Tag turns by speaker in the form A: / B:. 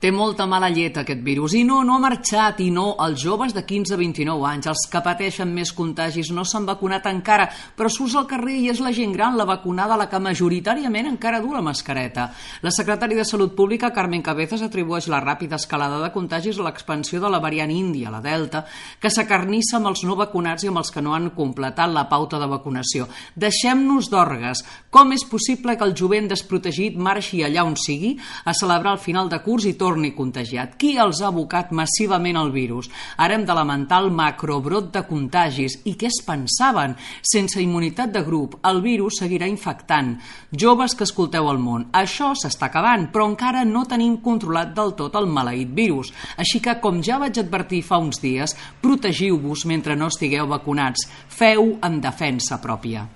A: Té molta mala llet aquest virus i no ha marxat, i no, els joves de 15 a 29 anys, els que pateixen més contagis, no s'han vacunat encara, però surts al carrer i és la gent gran, la vacunada, la que majoritàriament encara du la mascareta. La secretària de Salut Pública, Carmen Cabezas, atribueix la ràpida escalada de contagis a l'expansió de la variant índia, la Delta, que s'acarnissa amb els no vacunats i amb els que no han completat la pauta de vacunació. Deixem-nos d'orgues. Com és possible que el jovent desprotegit marxi allà on sigui a celebrar el final de curs i torni contagiat? Qui els ha abocat massivament al virus? Ara hem de lamentar el macrobrot de contagis. I què es pensaven? Sense immunitat de grup, el virus seguirà infectant. Joves que escolteu el món, això s'està acabant, però encara no tenim controlat del tot el maleït virus. Així que, com ja vaig advertir fa uns dies, protegiu-vos mentre no estigueu vacunats. Feu en defensa pròpia.